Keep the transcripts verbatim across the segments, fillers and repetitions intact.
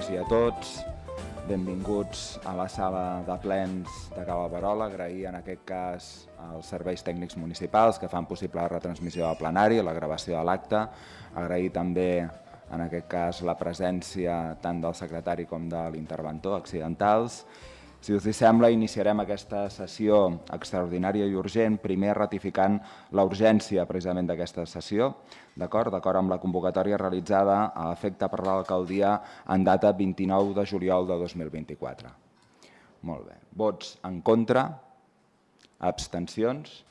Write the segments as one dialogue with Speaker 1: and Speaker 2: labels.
Speaker 1: tots i a tots. Benvinguts a la sala de plens de Cala Verola. Agrair en aquest cas als serveis tècnics municipals que fan possible la retransmissió del plenari, la gravació de l'acte. Agrair també en aquest cas la presència tant del secretari com de l'interventor accidentals. Si us sembla, iniciarem aquesta sessió extraordinària i urgent, primer ratificant la urgència precisament d'aquesta sessió, d'acord d'acord amb la convocatòria realitzada a efecte per l'alcaldia en data vint-i-nou de juliol de dos mil vint-i-quatre. Molt bé. Vots en contra? Abstencions?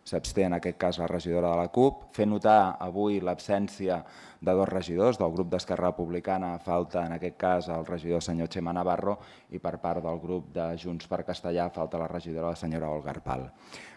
Speaker 1: S'absté en aquest cas la regidora de la CUP. Fer notar avui l'absència de dos regidors del grup d'Esquerra Republicana. Falta en aquest cas el regidor senyor Xema Navarro i per part del grup de Junts per Castellà falta la regidora la senyora Olga Arpal.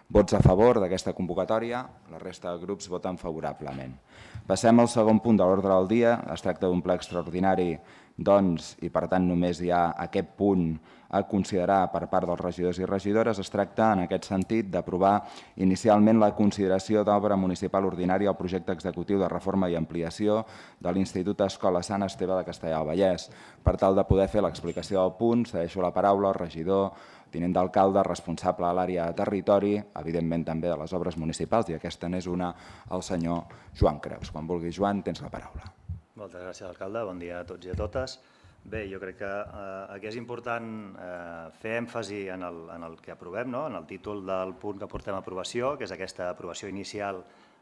Speaker 1: Vots a favor d'aquesta convocatòria, la resta de grups voten favorablement. Passem al segon punt de l'ordre del dia. Es tracta d'un ple extraordinari, doncs, i per tant només hi ha aquest punt a considerar per part dels regidors i regidores. Es tracta, en aquest sentit, d'aprovar inicialment la consideració d'obra municipal ordinària al projecte executiu de reforma i ampliació de l'Institut Escola Sant Esteve de Castellar del Vallès. Per tal de poder fer l'explicació del punt, cedeixo la paraula al regidor, tinent d'alcalde, responsable de l'àrea de territori, evidentment també de les obres municipals, i aquesta n'és una, el senyor Joan Creus. Quan vulgui, Joan, tens la paraula.
Speaker 2: Moltes gràcies, alcalde. Bon dia a tots i a totes. Bé, jo crec que eh, aquí és important eh, fer èmfasi en el, en el que aprovem, no? En el títol del punt que portem a aprovació, que és aquesta aprovació inicial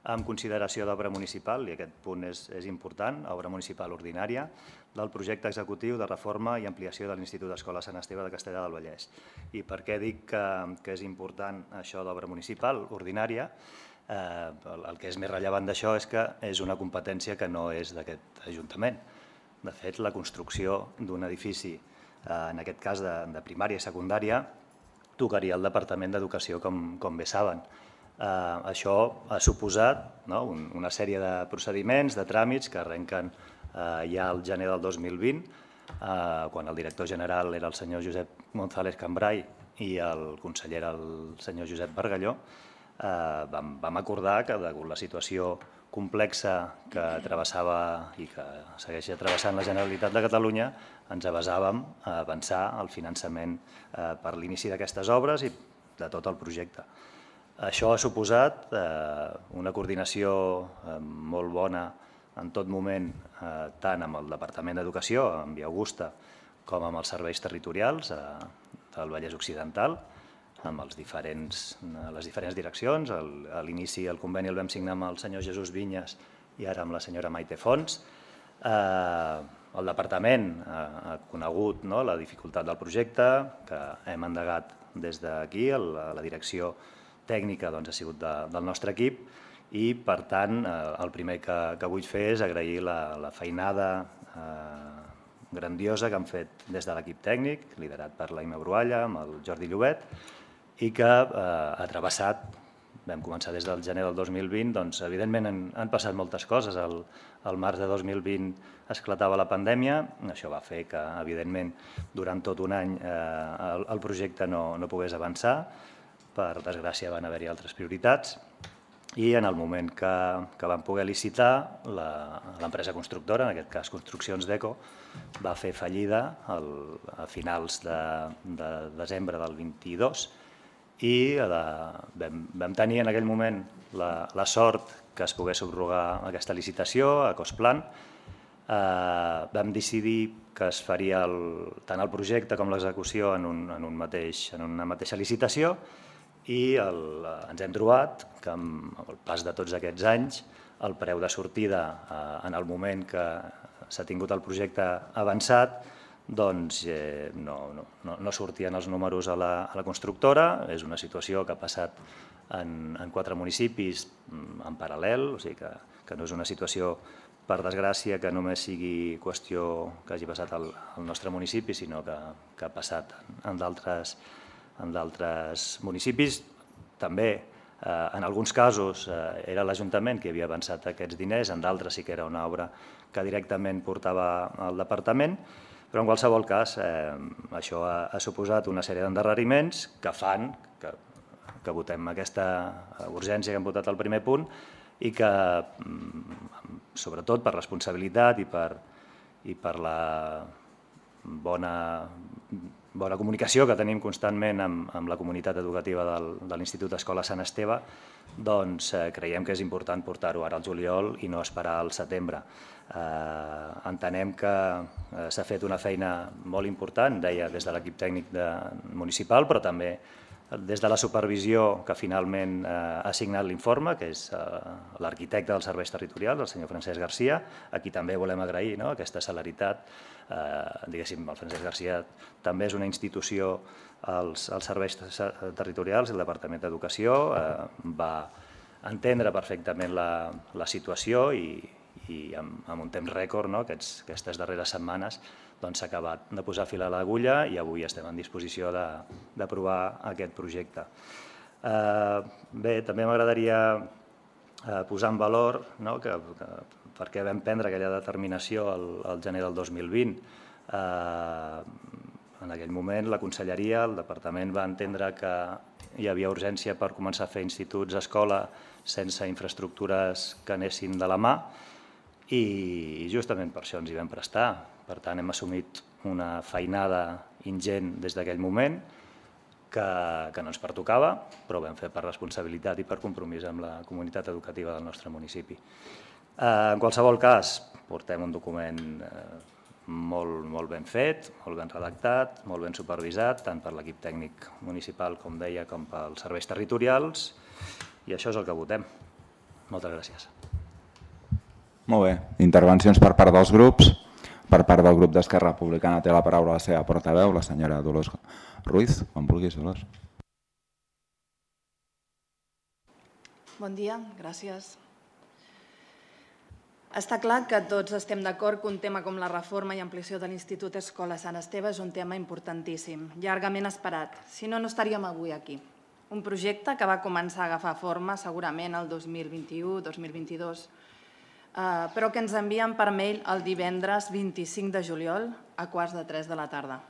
Speaker 2: amb consideració d'obra municipal, i aquest punt és, és important, obra municipal ordinària, del projecte executiu de reforma i ampliació de l'Institut Escola Sant Esteve de Castellar del Vallès. I per què dic que, que és important això d'obra municipal ordinària? Eh, el, el que és més rellevant d'això és que és una competència que no és d'aquest Ajuntament. De fet, la construcció d'un edifici, eh, en aquest cas de, de primària i secundària, tocaria el Departament d'Educació, com, com bé saben. Eh, això ha suposat no, un, una sèrie de procediments, de tràmits que arrenquen eh, ja al gener del dos mil vint, eh, quan el director general era el senyor Josep González Cambrai i el conseller era el senyor Josep Bargalló. Eh, vam, vam acordar que, degut a la situació complexa que travessava i que segueix travessant la Generalitat de Catalunya, ens basàvem a avançar el finançament eh, per l'inici d'aquestes obres i de tot el projecte. Això ha suposat eh, una coordinació eh, molt bona en tot moment, eh, tant amb el Departament d'Educació, amb Via Augusta, com amb els serveis territorials eh, del Vallès Occidental, amb els diferents, les diferents direccions. A l'inici el conveni el vam signar amb el senyor Jesús Vinyes i ara amb la senyora Maite Fons. Eh, el departament ha conegut no, la dificultat del projecte, que hem endegat des d'aquí, la, la direcció tècnica doncs, ha sigut de, del nostre equip i, per tant, eh, el primer que, que vull fer és agrair la, la feinada eh, grandiosa que han fet des de l'equip tècnic, liderat per l'Aime Brualla, amb el Jordi Llobet, i que eh, ha travessat, vam començar des del gener del dos mil vint, doncs evidentment han, han passat moltes coses. El, el març de dos mil vint esclatava la pandèmia, això va fer que, evidentment, durant tot un any eh, el, el projecte no, no pogués avançar, per desgràcia van haver-hi altres prioritats, i en el moment que, que vam poder licitar, l'empresa constructora, en aquest cas Construccions Deco, va fer fallida el, a finals de, de desembre del vint-i-dos, i la, vam, vam tenir en aquell moment la, la sort que es pogués subrogar aquesta licitació a Cosplan. Eh, vam decidir que es faria el, tant el projecte com l'execució en, un, en, un mateix, en una mateixa licitació i el, ens hem trobat que amb el pas de tots aquests anys el preu de sortida eh, en el moment que s'ha tingut el projecte avançat doncs eh, no, no, no sortien els números a la, a la constructora. És una situació que ha passat en, en quatre municipis en paral·lel, o sigui que, que no és una situació, per desgràcia, que només sigui qüestió que hagi passat al, al nostre municipi, sinó que, que ha passat en d'altres en d'altres municipis. També, eh, en alguns casos, eh, era l'Ajuntament que havia avançat aquests diners, en d'altres sí que era una obra que directament portava al departament, però en qualsevol cas eh, això ha, ha suposat una sèrie d'endarreriments que fan que, que votem aquesta urgència que hem votat al primer punt i que, sobretot per responsabilitat i per, i per la bona, bona comunicació que tenim constantment amb, amb la comunitat educativa del, de l'Institut Escola Sant Esteve, doncs eh, creiem que és important portar-ho ara al juliol i no esperar al setembre. Eh, entenem que eh, s'ha fet una feina molt important, deia, des de l'equip tècnic de, municipal, però també des de la supervisió que finalment eh, ha signat l'informe, que és eh, l'arquitecte dels serveis territorials, el senyor Francesc Garcia, a qui també volem agrair no, aquesta celeritat. Eh, diguéssim, el Francesc Garcia també és una institució als, als serveis territorials, el Departament d'Educació, eh, va entendre perfectament la, la situació i, i amb, amb un temps rècord, no, aquests, aquestes darreres setmanes, doncs s'ha acabat de posar fil a l'agulla i avui estem en disposició d'aprovar aquest projecte. Eh, bé, també m'agradaria eh, posar en valor no, que, que perquè vam prendre aquella determinació al, al gener del dos mil vint. Eh, en aquell moment la Conselleria, el Departament va entendre que hi havia urgència per començar a fer instituts a escola sense infraestructures que anessin de la mà i justament per això ens hi vam prestar. Per tant, hem assumit una feinada ingent des d'aquell moment que, que no ens pertocava, però ho vam fer per responsabilitat i per compromís amb la comunitat educativa del nostre municipi. En qualsevol cas, portem un document molt, molt ben fet, molt ben redactat, molt ben supervisat, tant per l'equip tècnic municipal, com deia, com pels serveis territorials, i això és el que votem. Moltes gràcies.
Speaker 1: Molt bé. Intervencions per part dels grups. Per part del grup d'Esquerra Republicana té la paraula la seva portaveu, la senyora Dolors Ruiz. Quan vulguis, Dolors.
Speaker 3: Bon dia, gràcies. Està clar que tots estem d'acord que un tema com la reforma i ampliació de l'Institut Escola Sant Esteve és un tema importantíssim, llargament esperat, si no, no estaríem avui aquí. Un projecte que va començar a agafar forma segurament el dos mil vint-i-u dos mil vint-i-dos, però que ens envien per mail el divendres vint-i-cinc de juliol a quarts de tres de la tarda.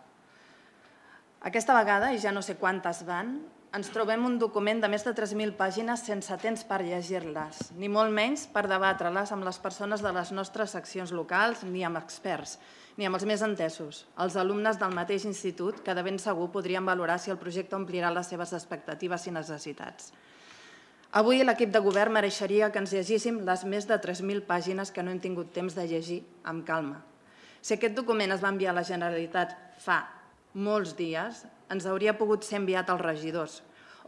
Speaker 3: Aquesta vegada, i ja no sé quantes van, ens trobem un document de més de tres mil pàgines sense temps per llegir-les, ni molt menys per debatre-les amb les persones de les nostres seccions locals, ni amb experts, ni amb els més entesos, els alumnes del mateix institut que de ben segur podrien valorar si el projecte omplirà les seves expectatives i necessitats. Avui l'equip de govern mereixeria que ens llegíssim les més de tres mil pàgines que no hem tingut temps de llegir amb calma. Si aquest document es va enviar a la Generalitat fa molts dies, ens hauria pogut ser enviat als regidors,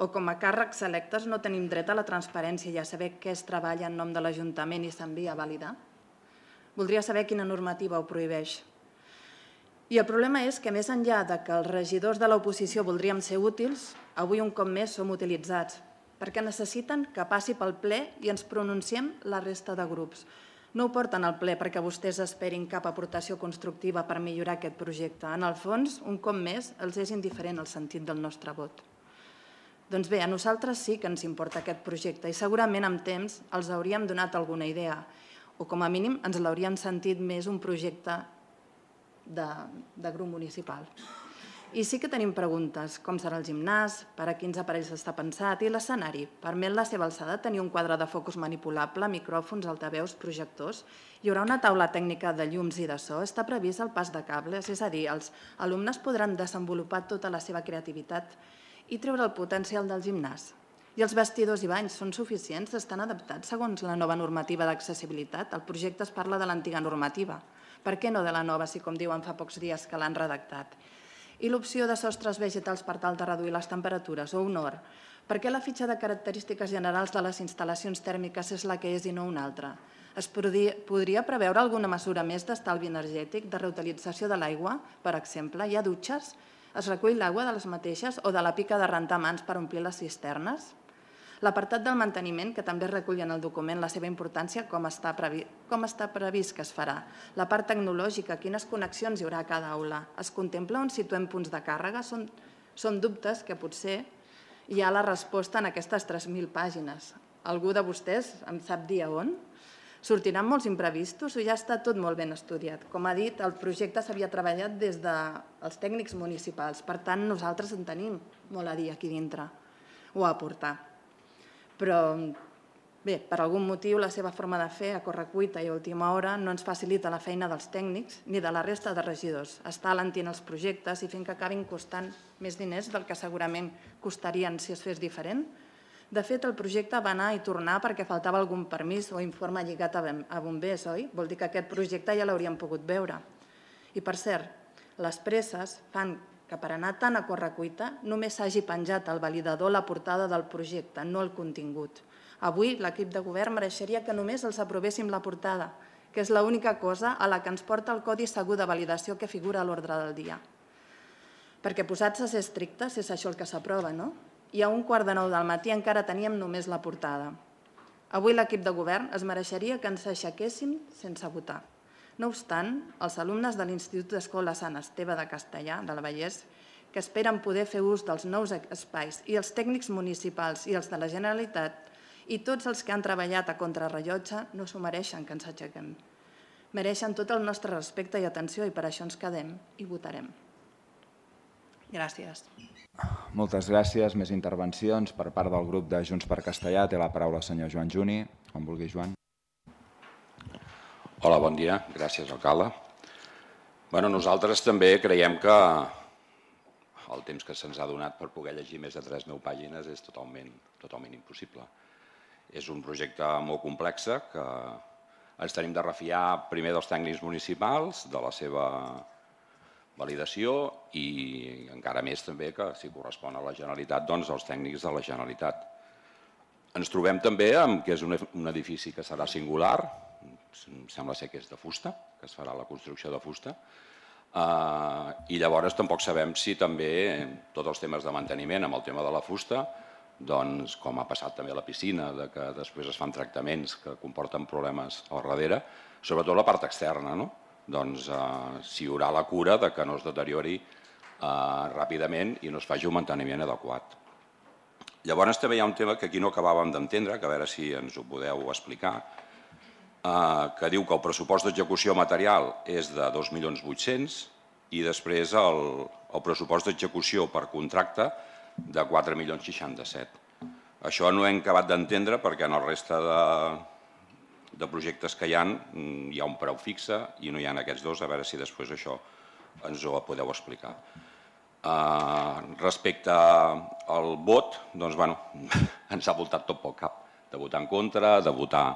Speaker 3: o com a càrrecs electes no tenim dret a la transparència i a saber què es treballa en nom de l'Ajuntament i s'envia a validar? Voldria saber quina normativa ho prohibeix. I el problema és que més enllà de que els regidors de l'oposició voldríem ser útils, avui un cop més som utilitzats, perquè necessiten que passi pel ple i ens pronunciem la resta de grups. No ho porten al ple perquè vostès esperin cap aportació constructiva per millorar aquest projecte. En el fons, un cop més, els és indiferent el sentit del nostre vot. Doncs bé, a nosaltres sí que ens importa aquest projecte i segurament amb temps els hauríem donat alguna idea o com a mínim ens l'hauríem sentit més un projecte de, de grup municipal. I sí que tenim preguntes, com serà el gimnàs, per a quins aparells està pensat i l'escenari. Permet la seva alçada tenir un quadre de focus manipulable, micròfons, altaveus, projectors. Hi haurà una taula tècnica de llums i de so. Està previst el pas de cables, és a dir, els alumnes podran desenvolupar tota la seva creativitat i treure el potencial del gimnàs. I els vestidors i banys són suficients? Estan adaptats segons la nova normativa d'accessibilitat? El projecte es parla de l'antiga normativa. Per què no de la nova, si com diuen fa pocs dies que l'han redactat? I l'opció de sostres vegetals per tal de reduir les temperatures o un hort. Per què la fitxa de característiques generals de les instal·lacions tèrmiques és la que és i no una altra? Es podria preveure alguna mesura més d'estalvi energètic, de reutilització de l'aigua, per exemple? Hi ha dutxes? Es recull l'aigua de les mateixes o de la pica de rentar mans per omplir les cisternes? L'apartat del manteniment, que també recull en el document la seva importància, com està previst que es farà. La part tecnològica, quines connexions hi haurà a cada aula? Es contempla on situem punts de càrrega? Són dubtes que potser hi ha la resposta en aquestes tres mil pàgines. Algú de vostès em sap dir a on? Sortiran molts imprevistos o ja està tot molt ben estudiat? Com ha dit, el projecte s'havia treballat des dels tècnics municipals. Per tant, nosaltres en tenim molt a dir aquí dintre o a aportar. Però Bé, per algun motiu la seva forma de fer a correcuita i a última hora no ens facilita la feina dels tècnics ni de la resta de regidors. Està alentint els projectes i fent que acabin costant més diners del que segurament costarien si es fes diferent. De fet, el projecte va anar i tornar perquè faltava algun permís o informe lligat a bombers, oi? Vol dir que aquest projecte ja l'hauríem pogut veure. I per cert, les presses fan que per anar tan a correcuita només s'hagi penjat al validador la portada del projecte, no el contingut. Avui l'equip de govern mereixeria que només els aprovéssim la portada, que és l'única cosa a la que ens porta el codi segur de validació que figura a l'ordre del dia. Perquè posats a ser estrictes és això el que s'aprova, no? I a un quart de nou del matí encara teníem només la portada. Avui l'equip de govern es mereixeria que ens aixequéssim sense votar. No obstant, els alumnes de l'Institut d'Escola Sant Esteve de Castellar, de la Vallès, que esperen poder fer ús dels nous espais, i els tècnics municipals i els de la Generalitat, i tots els que han treballat a contrarrellotge no s'ho mereixen que ens aixequem. Mereixen tot el nostre respecte i atenció i per això ens quedem i votarem. Gràcies.
Speaker 1: Moltes gràcies. Més intervencions per part del grup de Junts per Castellar. Té la paraula el senyor Joan Juni. Quan vulgui, Joan.
Speaker 4: Hola, bon dia. Gràcies, alcalde. Bueno, nosaltres també creiem que el temps que se'ns ha donat per poder llegir més de tres mil pàgines és totalment, totalment impossible. És un projecte molt complex que ens tenim de refiar primer dels tècnics municipals, de la seva validació i encara més també que si correspon a la Generalitat, doncs els tècnics de la Generalitat. Ens trobem també amb que és un edifici que serà singular, sembla ser que és de fusta, que es farà la construcció de fusta, i llavors tampoc sabem si també tots els temes de manteniment amb el tema de la fusta, doncs, com ha passat també a la piscina, que després es fan tractaments que comporten problemes al darrere, sobretot la part externa, doncs si hi haurà la cura que no es deteriori ràpidament i no es faci un manteniment adequat. Llavors també hi ha un tema que aquí no acabàvem d'entendre, que a veure si ens ho podeu explicar, que diu que el pressupost d'execució material és de dos milions vuit-cents i després el pressupost d'execució per contracte de quatre milions seixanta-set. Això no hem acabat d'entendre perquè en el resta de projectes que hi ha hi ha un preu fixe i no hi ha aquests dos, a veure si després això ens ho podeu explicar. Respecte al vot, doncs bueno, ens ha voltat tot pel cap, de votar en contra, de votar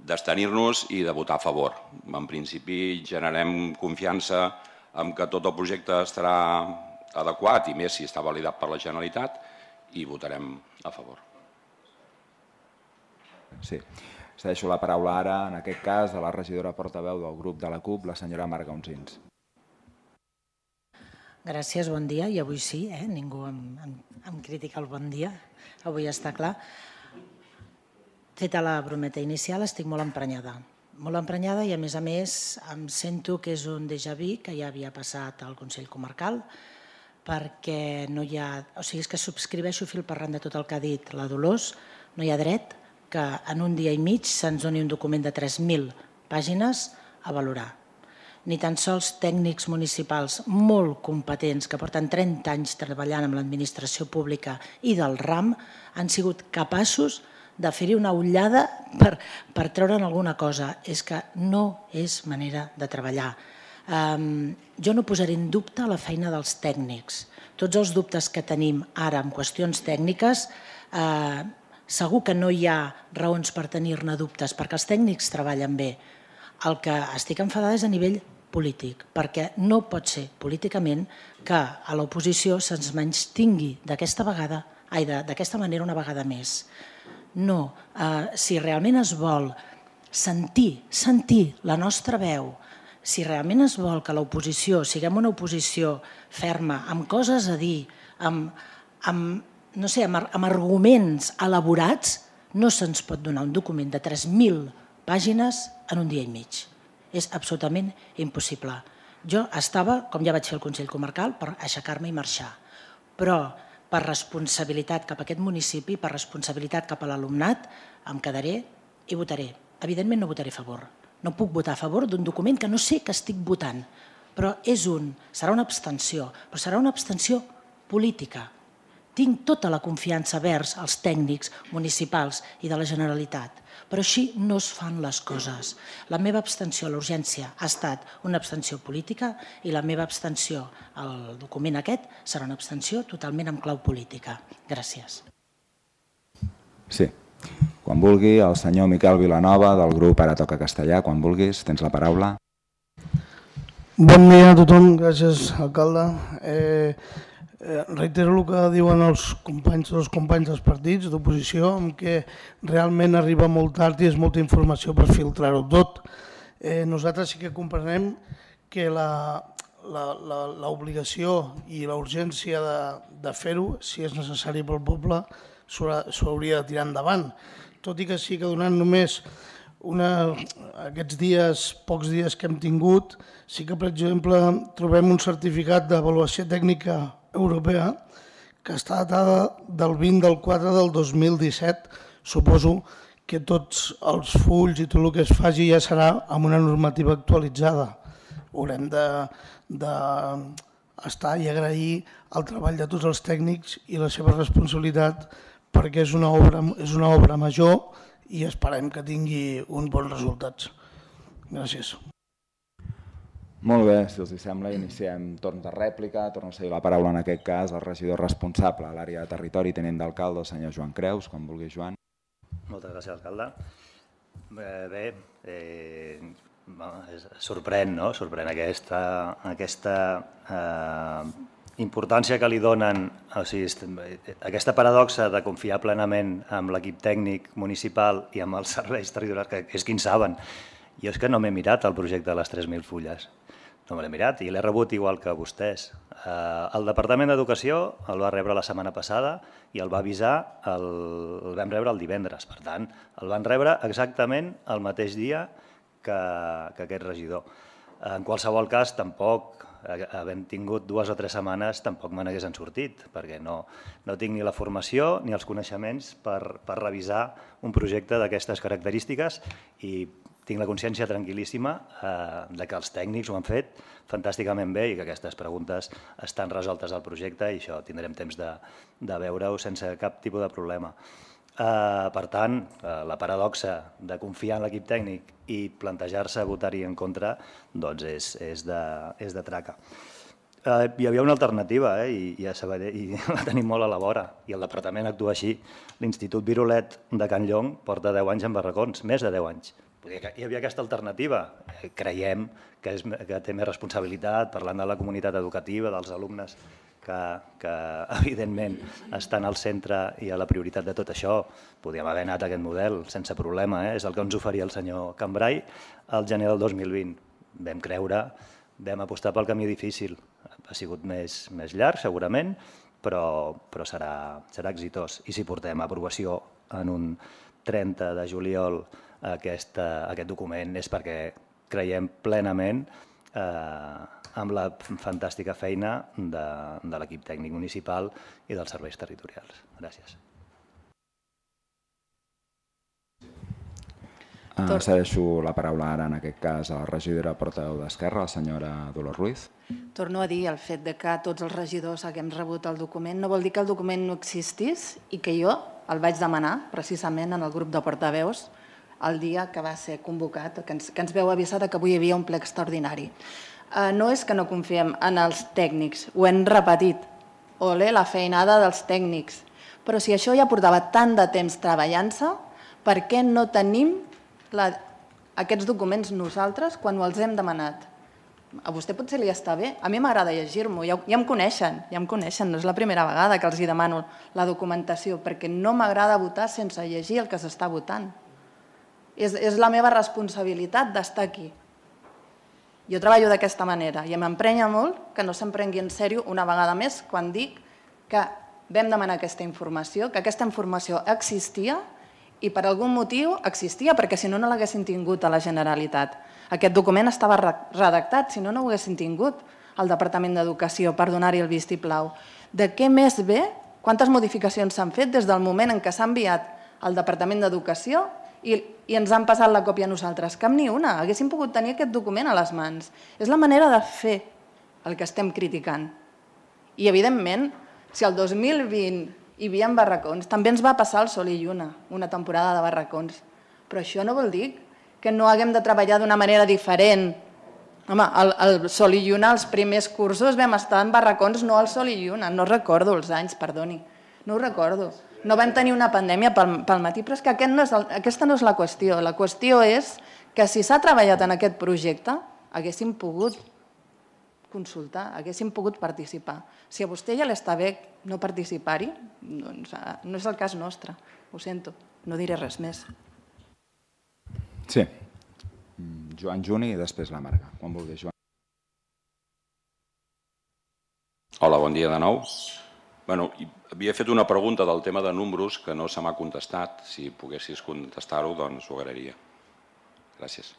Speaker 4: d'abstenir-nos i de votar a favor. En principi generem confiança en que tot el projecte estarà adequat i més si està validat per la Generalitat i votarem a favor.
Speaker 1: Sí. Cedeixo la paraula ara, en aquest cas, a la regidora portaveu del grup de la CUP, la senyora Marga Unsins.
Speaker 5: Gràcies, bon dia. I avui sí, eh? Ningú em, em, em critica el bon dia. Avui està clar. Feta la brometa inicial, estic molt emprenyada. Molt emprenyada i, a més a més, em sento que és un déjà vu que ja havia passat al Consell Comarcal, perquè no hi ha... O sigui, és que subscriveixo fil per randa tot el que ha dit la Dolors. No hi ha dret que en un dia i mig se'ns doni un document de tres mil pàgines a valorar. Ni tan sols tècnics municipals molt competents que porten trenta anys treballant amb l'administració pública i del RAM han sigut capaços de fer-hi una ullada per, per treure'n alguna cosa. És que no és manera de treballar. Um, jo no posaré en dubte la feina dels tècnics. Tots els dubtes que tenim ara en qüestions tècniques, eh, segur que no hi ha raons per tenir-ne dubtes, perquè els tècnics treballen bé. El que estic enfadada és a nivell polític, perquè no pot ser políticament que a l'oposició se'ns menystingui d'aquesta vegada, ai, d'aquesta manera una vegada més. No, eh, si realment es vol sentir, sentir la nostra veu, si realment es vol que l'oposició siguem una oposició ferma, amb coses a dir, amb, amb, no sé, amb, amb arguments elaborats, no se'ns pot donar un document de tres mil pàgines en un dia i mig. És absolutament impossible. Jo estava, com ja vaig fer al Consell Comarcal, per aixecar-me i marxar, però per responsabilitat cap a aquest municipi, per responsabilitat cap a l'alumnat, em quedaré i votaré. Evidentment no votaré a favor. No puc votar a favor d'un document que no sé que estic votant, però és un, serà una abstenció, però serà una abstenció política. tinc tota la confiança vers els tècnics municipals i de la Generalitat, però així no es fan les coses. La meva abstenció a l'urgència ha estat una abstenció política i la meva abstenció al document aquest serà una abstenció totalment amb clau política. Gràcies.
Speaker 1: Sí. Quan vulgui, el senyor Miquel Vilanova, del grup Ara Toca Castellà, quan vulguis, tens la paraula.
Speaker 6: Bon dia a tothom, gràcies, alcalde. Eh, eh, reitero el que diuen els companys, els companys dels partits d'oposició, en què realment arriba molt tard i és molta informació per filtrar-ho tot. Eh, nosaltres sí que comprenem que l'obligació i la urgència de, de fer-ho, si és necessari pel poble, s'hauria de tirar endavant. Tot i que sí que donant només una, aquests dies, pocs dies que hem tingut, sí que, per exemple, trobem un certificat d'avaluació tècnica europea que està datada del vint del quatre del dos mil disset. Suposo que tots els fulls i tot el que es faci ja serà amb una normativa actualitzada. Haurem d'estar i agrair el treball de tots els tècnics i la seva responsabilitat, perquè és una obra, és una obra major i esperem que tingui uns bons resultats. Gràcies.
Speaker 1: Molt bé, si els sembla, iniciem torn de rèplica. Torno a seguir la paraula en aquest cas al regidor responsable a l'àrea de territori i tinent d'alcalde, el senyor Joan Creus. Quan vulgui, Joan.
Speaker 2: Moltes gràcies, alcalde. Bé, eh, sorprèn, no? Sorprèn aquesta, aquesta eh, importància que li donen, o sigui, aquesta paradoxa de confiar plenament en l'equip tècnic municipal i amb els serveis territorials, que és qui en saben. Jo és que no m'he mirat el projecte de les tres mil fulles, no me l'he mirat i l'he rebut igual que vostès. El Departament d'Educació el va rebre la setmana passada i el va avisar, el, el vam rebre el divendres, per tant, el van rebre exactament el mateix dia que, que aquest regidor. En qualsevol cas, tampoc, havent tingut dues o tres setmanes, tampoc me n'hagués sortit, perquè no, no tinc ni la formació ni els coneixements per, per revisar un projecte d'aquestes característiques i tinc la consciència tranquil·líssima eh, de que els tècnics ho han fet fantàsticament bé i que aquestes preguntes estan resoltes al projecte i això tindrem temps de, de veure-ho sense cap tipus de problema. Eh, per tant, eh, la paradoxa de confiar en l'equip tècnic i plantejar-se votar-hi en contra doncs és, és, de, és de traca. Eh, hi havia una alternativa eh, i, i, a Sabadell, i la tenim molt a la vora i el departament actua així. L'Institut Virolet de Can Llong porta deu anys en barracons, més de deu anys. Hi havia aquesta alternativa. Creiem que, és, que té més responsabilitat, parlant de la comunitat educativa, dels alumnes que, que evidentment estan al centre i a la prioritat de tot això. Podríem haver anat a aquest model sense problema, eh? És el que ens oferia el senyor Cambrai al gener del dos mil vint. Vam creure, vam apostar pel camí difícil. Ha sigut més, més llarg, segurament, però, però serà, serà exitós. I si portem a aprovació en un trenta de juliol Aquest, aquest document és perquè creiem plenament eh, amb la fantàstica feina de, de l'equip tècnic municipal i dels serveis territorials. Gràcies.
Speaker 1: Uh, cedeixo la paraula ara, en aquest cas, a la regidora portaveu d'Esquerra, la senyora Dolors Ruiz.
Speaker 3: Torno a dir, el fet de que tots els regidors haguem rebut el document no vol dir que el document no existís i que jo el vaig demanar precisament en el grup de portaveus el dia que va ser convocat, que ens, que ens veu avisar que avui hi havia un ple extraordinari. Uh, no és que no confiem en els tècnics, ho hem repetit. Olé, la feinada dels tècnics. Però si això ja portava tant de temps treballant-se, per què no tenim la, aquests documents nosaltres quan els hem demanat? A vostè potser li està bé, a mi m'agrada llegir-m'ho, ja, ja em coneixen, ja em coneixen, no és la primera vegada que els hi demano la documentació, perquè no m'agrada votar sense llegir el que s'està votant. És, és la meva responsabilitat d'estar aquí. Jo treballo d'aquesta manera i m'emprenya molt que no se'm prengui en sèrio una vegada més quan dic que vam demanar aquesta informació, que aquesta informació existia i per algun motiu existia, perquè si no, no l'haguessin tingut a la Generalitat. Aquest document estava redactat, si no, no ho haguessin tingut al Departament d'Educació per donar-hi el vistiplau. De què més ve? Quantes modificacions s'han fet des del moment en què s'ha enviat al Departament d'Educació i, i ens han passat la còpia a nosaltres? Cap ni una. Haguéssim pogut tenir aquest document a les mans. És la manera de fer el que estem criticant. I, evidentment, Si el dos mil vint hi havia barracons, també ens va passar el Sol i Lluna, una temporada de barracons. Però això no vol dir que no haguem de treballar d'una manera diferent. Home, el Sol i Lluna, els primers cursos vam estar en barracons, no al Sol i Lluna, no recordo els anys, perdoni, no ho recordo. No vam tenir una pandèmia pel matí, però és que aquesta no és la qüestió. La qüestió és que si s'ha treballat en aquest projecte, haguéssim pogut consultar, haguéssim pogut participar. Si a vostè ja l'està bé no participar-hi, doncs no és el cas nostre, ho sento, no diré res més.
Speaker 1: Sí, Joan Juni i després la Marga, quan vulgui, Joan.
Speaker 4: Hola, bon dia de nou. Bueno, havia fet una pregunta del tema de números que no se m'ha contestat. Si poguessis contestar-ho, doncs ho agrairia. Gràcies.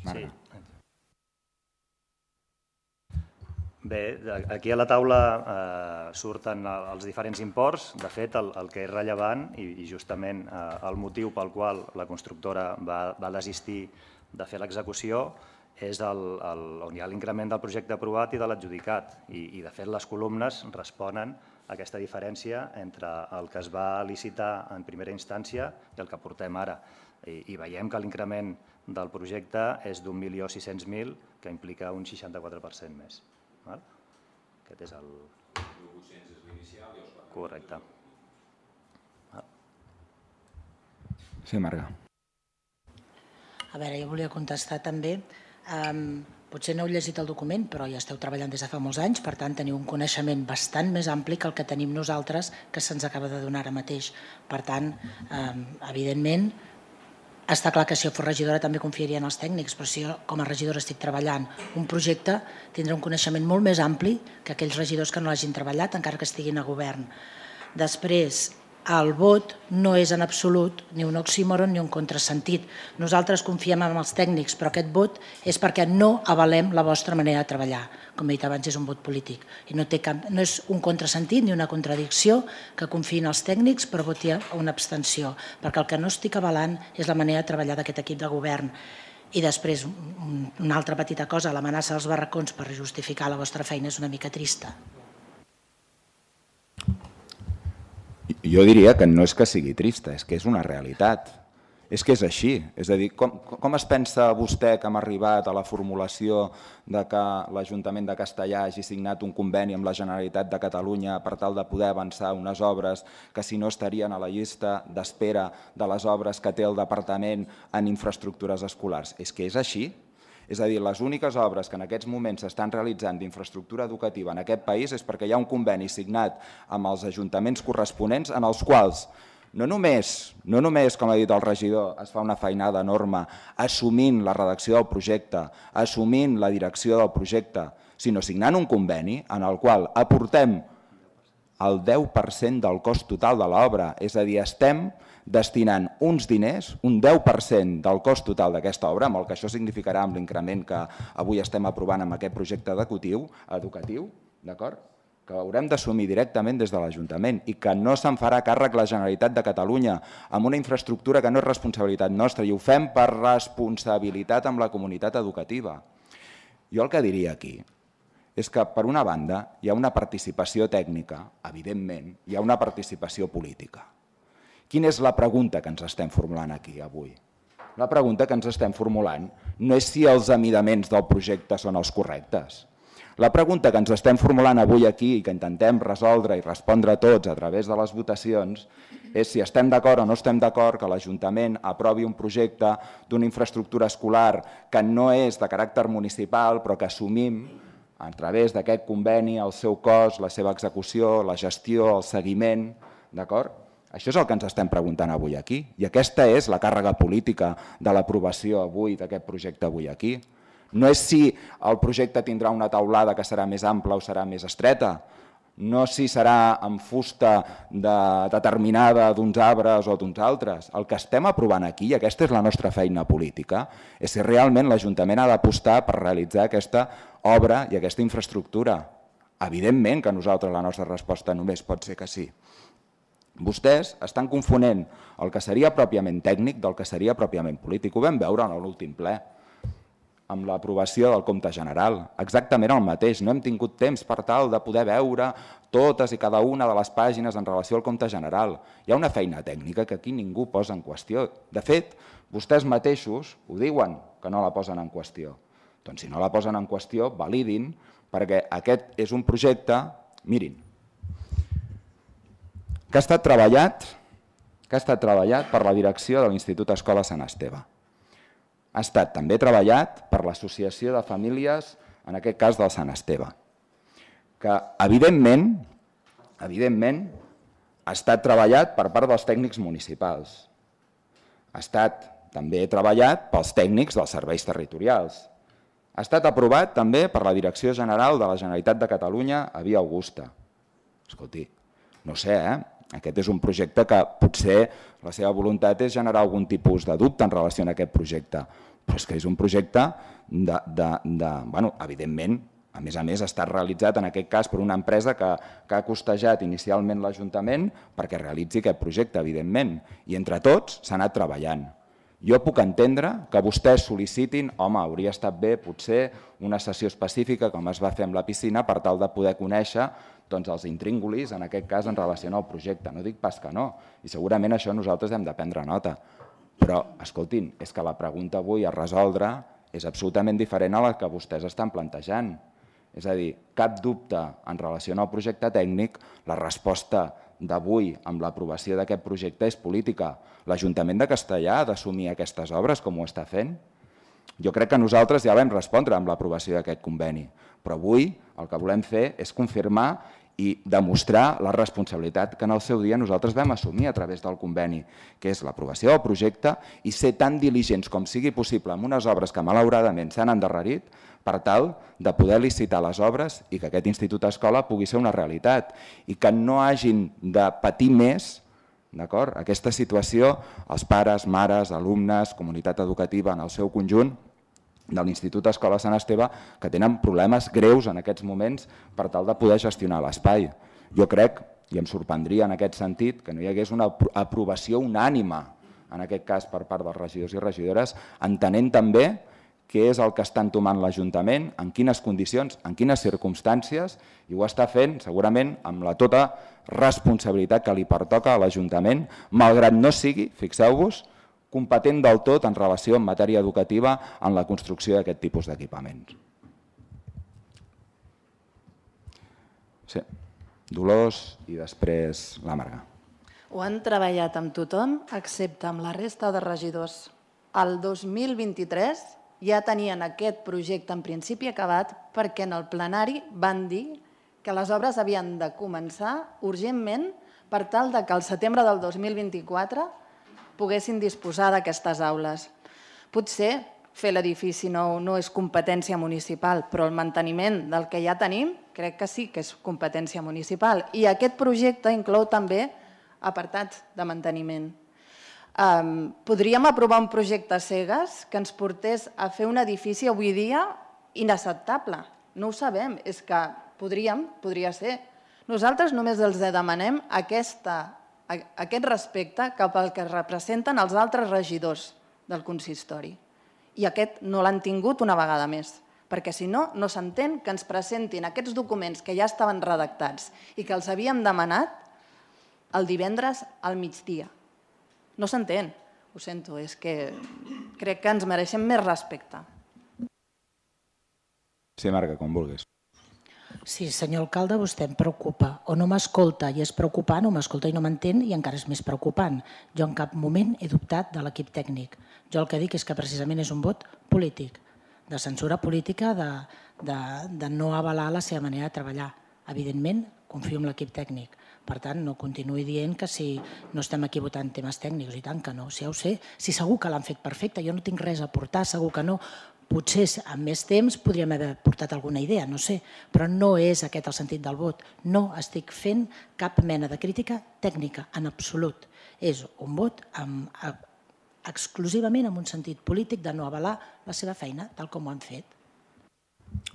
Speaker 1: Marga.
Speaker 2: Bé, aquí a la taula surten els diferents imports. De fet, el que és rellevant i justament el motiu pel qual la constructora va desistir de fer l'execució és on hi ha l'increment del projecte aprovat i de l'adjudicat. I, de fet, les columnes responen a aquesta diferència entre el que es va licitar en primera instància i el que portem ara. I veiem que l'increment del projecte és d'un milió sis-cents mil, que implica un seixanta-quatre per cent més. Aquest és el... mil vuit-cents és l'inicial i els quatre. Correcte.
Speaker 1: Sí, Marga.
Speaker 5: A veure, jo volia contestar també. Potser no heu llegit el document, però ja esteu treballant des de fa molts anys, per tant teniu un coneixement bastant més ampli que el que tenim nosaltres, que se'ns acaba de donar ara mateix. Per tant, evidentment, està clar que si jo fos regidora també confiaria en els tècnics, però si jo com a regidora estic treballant un projecte, tindrà un coneixement molt més ampli que aquells regidors que no l'hagin treballat, encara que estiguin a govern. Després, el vot no és en absolut ni un oxímoron ni un contrasentit. Nosaltres confiem en els tècnics, però aquest vot és perquè no avalem la vostra manera de treballar. Com he dit abans, és un vot polític. I no és un contrasentit ni una contradicció que confiïn els tècnics per votar una abstenció, perquè el que no estic avalant és la manera de treballar d'aquest equip de govern. I després, una altra petita cosa, l'amenaça dels barracons per justificar la vostra feina és una mica trista.
Speaker 1: Jo diria que no és que sigui trista, és que és una realitat. És que és així. És a dir, com es pensa vostè que hem arribat a la formulació que l'Ajuntament de Castellar hagi signat un conveni amb la Generalitat de Catalunya per tal de poder avançar unes obres que si no estarien a la llista d'espera de les obres que té el Departament en infraestructures escolars? És que és així. És a dir, les úniques obres que en aquests moments s'estan realitzant d'infraestructura educativa en aquest país és perquè hi ha un conveni signat amb els ajuntaments corresponents en els quals no només, no només, com ha dit el regidor, es fa una feinada enorme assumint la redacció del projecte, assumint la direcció del projecte, sinó signant un conveni en el qual aportem el deu per cent del cost total de l'obra. És a dir, estem destinant uns diners, un deu per cent del cost total d'aquesta obra, amb el que això significarà amb l'increment que avui estem aprovant amb aquest projecte educatiu, d'acord? Que haurem d'assumir directament des de l'Ajuntament i que no se'n farà càrrec la Generalitat de Catalunya amb una infraestructura que no és responsabilitat nostra i ho fem per responsabilitat amb la comunitat educativa. Jo el que diria aquí és que, per una banda, hi ha una participació tècnica, evidentment, hi ha una participació política. Quina és la pregunta que ens estem formulant aquí avui? La pregunta que ens estem formulant no és si els amidaments del projecte són els correctes. La pregunta que ens estem formulant avui aquí i que intentem resoldre i respondre tots a través de les votacions és si estem d'acord o no estem d'acord que l'Ajuntament aprovi un projecte d'una infraestructura escolar que no és de caràcter municipal però que assumim a través d'aquest conveni el seu cost, la seva execució, la gestió, el seguiment, d'acord? Això és el que ens estem preguntant avui aquí i aquesta és la càrrega política de l'aprovació avui d'aquest projecte avui aquí. No és si el projecte tindrà una taulada que serà més ampla o serà més estreta, no si serà amb fusta determinada d'uns arbres o d'uns altres. El que estem aprovant aquí, i aquesta és la nostra feina política, és si realment l'Ajuntament ha d'apostar per realitzar aquesta obra i aquesta infraestructura. Evidentment que nosaltres la nostra resposta només pot ser que sí. Vostès estan confonent el que seria pròpiament tècnic del que seria pròpiament polític. Ho vam veure en l'últim ple. amb l'aprovació del compte general, exactament el mateix. No hem tingut temps per tal de poder veure totes i cada una de les pàgines en relació al compte general. Hi ha una feina tècnica que aquí ningú posa en qüestió. De fet, vostès mateixos ho diuen que no la posen en qüestió. Doncs si no la posen en qüestió, validin, perquè aquest és un projecte, mirin, que ha estat treballat, que ha estat treballat per la direcció de l'Institut Escola Sant Esteve. Ha estat també treballat per l'Associació de Famílies, en aquest cas del Sant Esteve, que evidentment, evidentment ha estat treballat per part dels tècnics municipals. Ha estat també treballat pels tècnics dels serveis territorials. Ha estat aprovat també per la Direcció General de la Generalitat de Catalunya a Via Augusta. Escolti, no sé, eh? Aquest és un projecte que potser la seva voluntat és generar algun tipus de dubte en relació a aquest projecte, però és que és un projecte de, de, de bueno, evidentment, a més a més ha estat realitzat en aquest cas per una empresa que, que ha costejat inicialment l'Ajuntament perquè realitzi aquest projecte, evidentment, i entre tots s'ha anat treballant. Jo puc entendre que vostès sol·licitin, home, hauria estat bé potser una sessió específica com es va fer amb la piscina per tal de poder conèixer doncs, els intríngulis, en aquest cas, en relació al projecte. No dic pas que no, i segurament això nosaltres hem de prendre nota. Però, escoltin, és que la pregunta avui a resoldre és absolutament diferent a la que vostès estan plantejant. És a dir, cap dubte en relació al projecte tècnic, la resposta d'avui amb l'aprovació d'aquest projecte és política. L'Ajuntament de Castellar ha d'assumir aquestes obres com ho està fent? Jo crec que nosaltres ja vam respondre amb l'aprovació d'aquest conveni, però avui el que volem fer és confirmar i demostrar la responsabilitat que en el seu dia nosaltres vam assumir a través del conveni, que és l'aprovació del projecte i ser tan diligents com sigui possible amb unes obres que malauradament s'han endarrerit per tal de poder licitar les obres i que aquest Institut Escola pugui ser una realitat i que no hagin de patir més aquesta situació els pares, mares, alumnes, comunitat educativa en el seu conjunt de l'Institut Escola Sant Esteve que tenen problemes greus en aquests moments per tal de poder gestionar l'espai. Jo crec, i em sorprendria en aquest sentit, que no hi hagués una aprovació unànime, en aquest cas per part dels regidors i regidores, entenent també què és el que està entomant l'Ajuntament, en quines condicions, en quines circumstàncies, i ho està fent segurament amb la tota responsabilitat que li pertoca a l'Ajuntament, malgrat no sigui, fixeu-vos, competent del tot en relació amb matèria educativa en la construcció d'aquest tipus d'equipaments. Sí. Dolors i després la Marga.
Speaker 3: Ho han treballat amb tothom, excepte amb la resta de regidors. El dos mil vint-i-tres ja tenien aquest projecte en principi acabat perquè en el plenari van dir que les obres havien de començar urgentment per tal que al setembre del dos mil vint-i-quatre poguessin disposar d'aquestes aules. Potser fer l'edifici no, no és competència municipal, però el manteniment del que ja tenim crec que sí que és competència municipal. I aquest projecte inclou també apartats de manteniment. Um, podríem aprovar un projecte cegues que ens portés a fer un edifici avui dia inacceptable. No ho sabem, és que podríem, podria ser. Nosaltres només els demanem aquesta aquest respecte cap al que representen els altres regidors del consistori. I aquest no l'han tingut una vegada més, perquè si no, no s'entén que ens presentin aquests documents que ja estaven redactats i que els havíem demanat el divendres al migdia. No s'entén, ho sento, és que crec que ens mereixem més respecte.
Speaker 1: Sí, Marga, com vulguis.
Speaker 5: Sí, senyor alcalde, vostè em preocupa. O no m'escolta i és preocupant, o m'escolta i no m'entén i encara és més preocupant. Jo en cap moment he dubtat de l'equip tècnic. Jo el que dic és que precisament és un vot polític, de censura política, de, de, de no avalar la seva manera de treballar. Evidentment, confio en l'equip tècnic. Per tant, no continuï dient que si no estem aquí votant temes tècnics, i tant que no. Si ja ho sé, si segur que l'han fet perfecte, jo no tinc res a aportar, segur que no. Potser amb més temps podríem haver portat alguna idea, no sé, però no és aquest el sentit del vot. No estic fent cap mena de crítica tècnica, en absolut. És un vot amb, exclusivament amb un sentit polític de no avalar la seva feina, tal com ho han fet.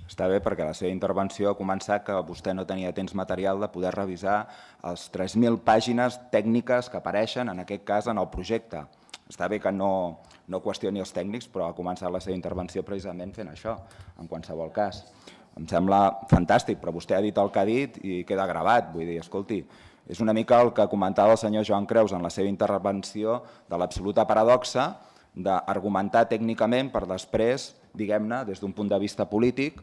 Speaker 1: Està bé perquè la seva intervenció ha començat que vostè no tenia temps material de poder revisar les tres mil pàgines tècniques que apareixen, en aquest cas, en el projecte. Està bé que no, no qüestioni els tècnics, però ha començat la seva intervenció precisament fent això, en qualsevol cas. Em sembla fantàstic, però vostè ha dit el que ha dit i queda gravat. Vull dir, escolti, és una mica el que comentava el senyor Joan Creus en la seva intervenció de l'absoluta paradoxa d'argumentar tècnicament per després, diguem-ne, des d'un punt de vista polític,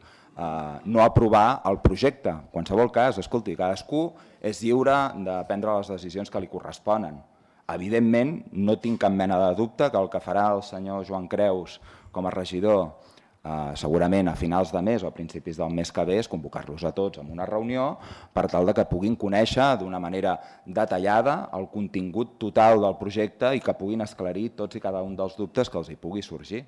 Speaker 1: no aprovar el projecte. En qualsevol cas, escolti, cadascú és lliure de prendre les decisions que li corresponen. Evidentment, no tinc cap mena de dubte que el que farà el senyor Joan Creus com a regidor segurament a finals de mes o a principis del mes que ve és convocar-los a tots en una reunió per tal que puguin conèixer d'una manera detallada el contingut total del projecte i que puguin esclarir tots i cada un dels dubtes que els hi pugui sorgir.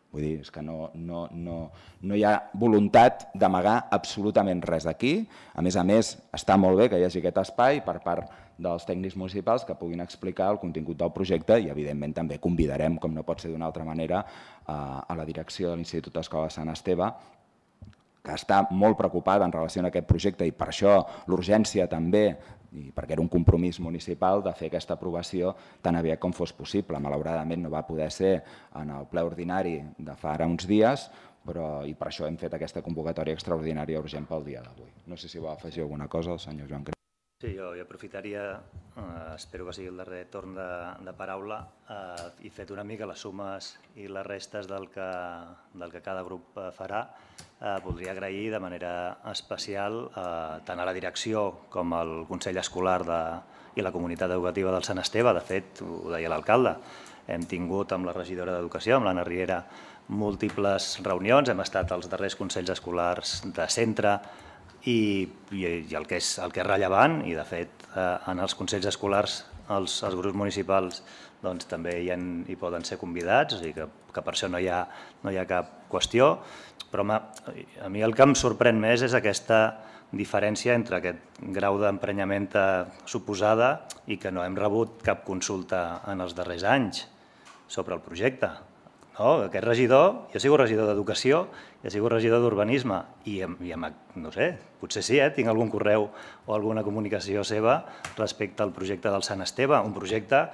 Speaker 1: Vull dir, és que no, no, no, no hi ha voluntat d'amagar absolutament res aquí. A més a més, està molt bé que hi hagi aquest espai per part dels tècnics municipals que puguin explicar el contingut del projecte i, evidentment, també convidarem, com no pot ser d'una altra manera, a la direcció de l'Institut d'Escola Sant Esteve, que està molt preocupada en relació amb aquest projecte i per això l'urgència també, i perquè era un compromís municipal de fer aquesta aprovació tan aviat com fos possible. Malauradament no va poder ser en el ple ordinari de fa ara uns dies, però i per això hem fet aquesta convocatòria extraordinària urgent pel dia d'avui. No sé si vol afegir alguna cosa el senyor Joan Creus.
Speaker 2: Sí, jo aprofitaria, espero que sigui el darrer torn de paraula, i fet una mica les sumes i les restes del que cada grup farà, voldria agrair de manera especial tant a la direcció com al Consell Escolar i la comunitat educativa del Sant Esteve. De fet, ho deia l'alcalde, hem tingut amb la regidora d'Educació, amb l'Anna Riera, múltiples reunions, hem estat als darrers consells escolars de centre, i el que és rellevant, i de fet en els consells escolars els grups municipals també hi poden ser convidats, o sigui que per això no hi ha cap qüestió, però a mi el que em sorprèn més és aquesta diferència entre aquest grau d'emprenyament suposada i que no hem rebut cap consulta en els darrers anys sobre el projecte. Aquest regidor, jo he sigut regidor d'Educació, he sigut regidor d'Urbanisme i, no sé, potser sí, tinc algun correu o alguna comunicació seva respecte al projecte del Sant Esteve, un projecte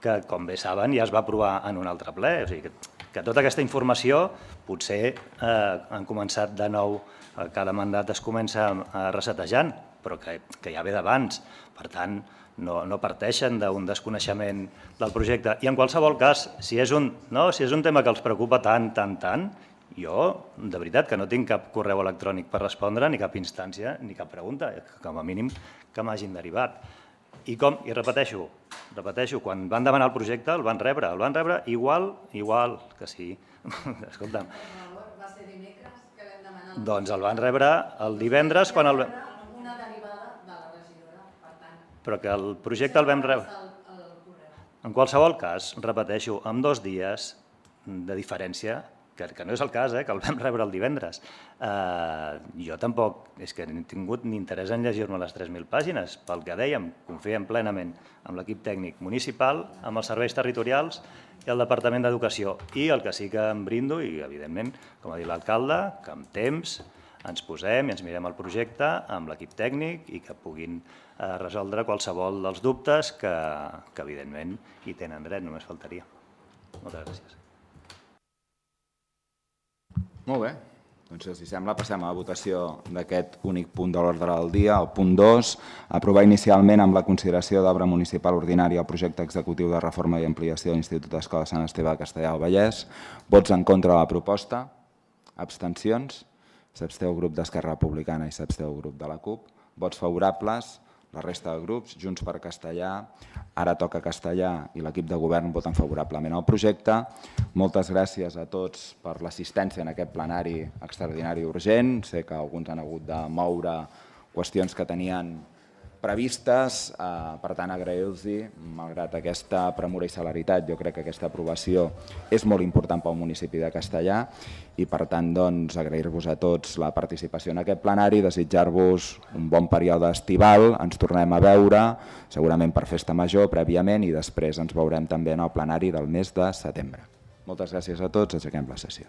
Speaker 2: que, com bé saben, ja es va aprovar en un altre ple. O sigui que tota aquesta informació potser han començat de nou, cada mandat es comença resetejant, però que ja ve d'abans. Per tant, no parteixen d'un desconeixement del projecte. I en qualsevol cas, si és un tema que els preocupa tant, tant, tant, jo, de veritat, que no tinc cap correu electrònic per respondre, ni cap instància, ni cap pregunta, com a mínim que m'hagin derivat. I com, i repeteixo, repeteixo, quan van demanar el projecte el van rebre, el van rebre igual, igual que sí. Escolta'm.
Speaker 3: Va ser dimecres que vam demanar...
Speaker 2: Doncs el van rebre el divendres quan el...
Speaker 3: Una derivada de la regidora, per tant...
Speaker 2: Però que el projecte el vam rebre... En qualsevol cas, repeteixo, amb dos dies de diferència, que no és el cas, que el vam rebre el divendres. Jo tampoc, és que no he tingut ni interès en llegir-me les tres mil pàgines. Pel que dèiem, confiem plenament amb l'equip tècnic municipal, amb els serveis territorials i el Departament d'Educació. I el que sí que em brindo, i evidentment, com ha dit l'alcalde, que amb temps ens posem i ens mirem el projecte amb l'equip tècnic i que puguin resoldre qualsevol dels dubtes que, evidentment, hi tenen dret, només faltaria. Moltes gràcies.
Speaker 1: Molt bé, doncs si sembla passem a la votació d'aquest únic punt de l'ordre del dia, el punt dos, aprovar inicialment amb la consideració d'obra municipal ordinària el projecte executiu de reforma i ampliació de l'Institut d'Escola Sant Esteve de Castellar del Vallès. Vots en contra de la proposta? Abstencions? S'absteu el grup d'Esquerra Republicana i s'absteu el grup de la CUP. Vots favorables? La resta de grups, Junts per Castellar, Ara Toca Castellar i l'equip de govern voten favorablement al projecte. Moltes gràcies a tots per l'assistència en aquest plenari extraordinari urgent. Sé que alguns han hagut de moure qüestions que tenien previstes, per tant agrair-los, malgrat aquesta premura i celeritat, jo crec que aquesta aprovació és molt important pel municipi de Castellar i per tant agrair-vos a tots la participació en aquest plenari, desitjar-vos un bon període estival, ens tornem a veure segurament per festa major prèviament i després ens veurem també en el plenari del mes de setembre. Moltes gràcies a tots, aixequem la sessió.